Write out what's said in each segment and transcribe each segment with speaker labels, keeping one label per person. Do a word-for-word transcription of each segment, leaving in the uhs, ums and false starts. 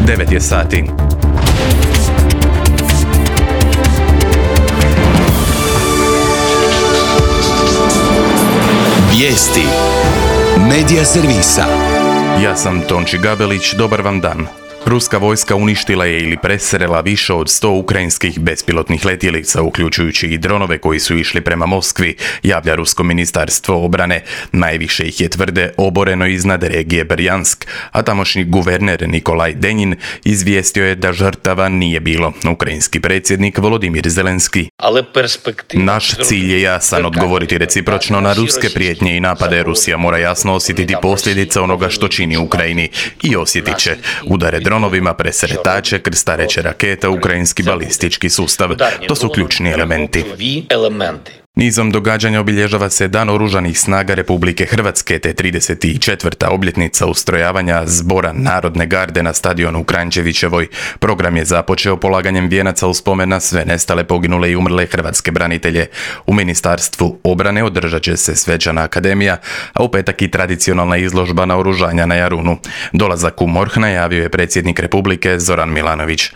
Speaker 1: devet je sati.
Speaker 2: Vijesti Medija servisa.
Speaker 1: Ja sam Tonči Gabelić, dobar vam dan. Ruska vojska uništila je ili presrela više od sto ukrajinskih bespilotnih letjelica, uključujući i dronove koji su išli prema Moskvi, javlja Rusko ministarstvo obrane. Najviše ih je, tvrde, oboreno iznad regije Brjansk, a tamošnji guverner Nikolaj Denjin izvijestio je da žrtava nije bilo. Ukrajinski predsjednik Volodimir Zelenski: naš cilj je jasan, odgovoriti recipročno na ruske prijetnje i napade. Rusija mora jasno osjetiti posljedice onoga što čini Ukrajini i osjetit će udare dronovima, presretače, krstareće raketa, ukrajinski balistički sustav. To su ključni elementi. Nizom događanja obilježava se Dan Oružanih snaga Republike Hrvatske te trideset četvrta obljetnica ustrojavanja Zbora Narodne garde na stadionu u Kranjčevićevoj. Program je započeo polaganjem vijenaca u spomen na sve nestale, poginule i umrle hrvatske branitelje. U Ministarstvu obrane održat će se svečana akademija, a u petak i tradicionalna izložba naoružanja na Jarunu. Dolazak u MORH najavio je predsjednik Republike Zoran Milanović.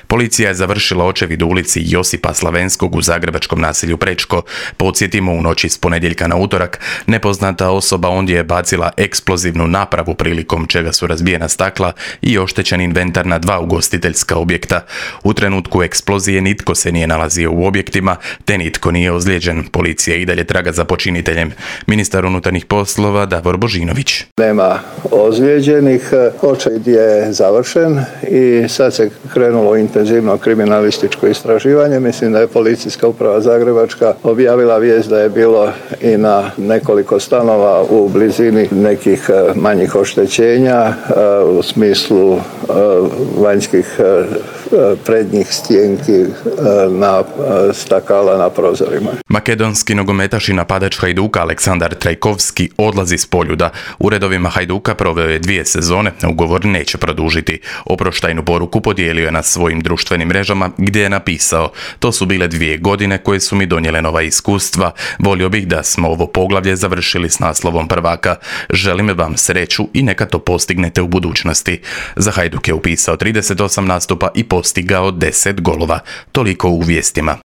Speaker 1: Policija je završila očevid u ulici Josipa Slavenskog u zagrebačkom naselju Prečko. Podsjetimo, u noći s ponedjeljka na utorak nepoznata osoba ondje je bacila eksplozivnu napravu, prilikom čega su razbijena stakla i oštećen inventar na dva ugostiteljska objekta. U trenutku eksplozije nitko se nije nalazio u objektima, te nitko nije ozlijeđen. Policija i dalje traga za počiniteljem. Ministar unutarnjih poslova Davor Božinović:
Speaker 3: nema ozlijeđenih, očevid je završen i sad se krenulo intenzivno kriminalističko istraživanje. Mislim da je Policijska uprava Zagrebačka objavila vijest da je bilo i na nekoliko stanova u blizini nekih manjih oštećenja u smislu vanjskih prednjih stjenki na stakala na prozorima.
Speaker 1: Makedonski nogometaš i napadač Hajduka Aleksandar Trajkovski odlazi s Poljuda. U redovima Hajduka proveo je dvije sezone, ugovor neće produžiti. Oproštajnu poruku podijelio je na svojim društvenim mrežama, gdje je napisao: to su bile dvije godine koje su mi donijele nova iskustva. Volio bih da smo ovo poglavlje završili s naslovom prvaka. Želim vam sreću i neka to postignete u budućnosti. Za Hajduk je upisao trideset osam nastupa i postigao deset golova. Toliko u vijestima.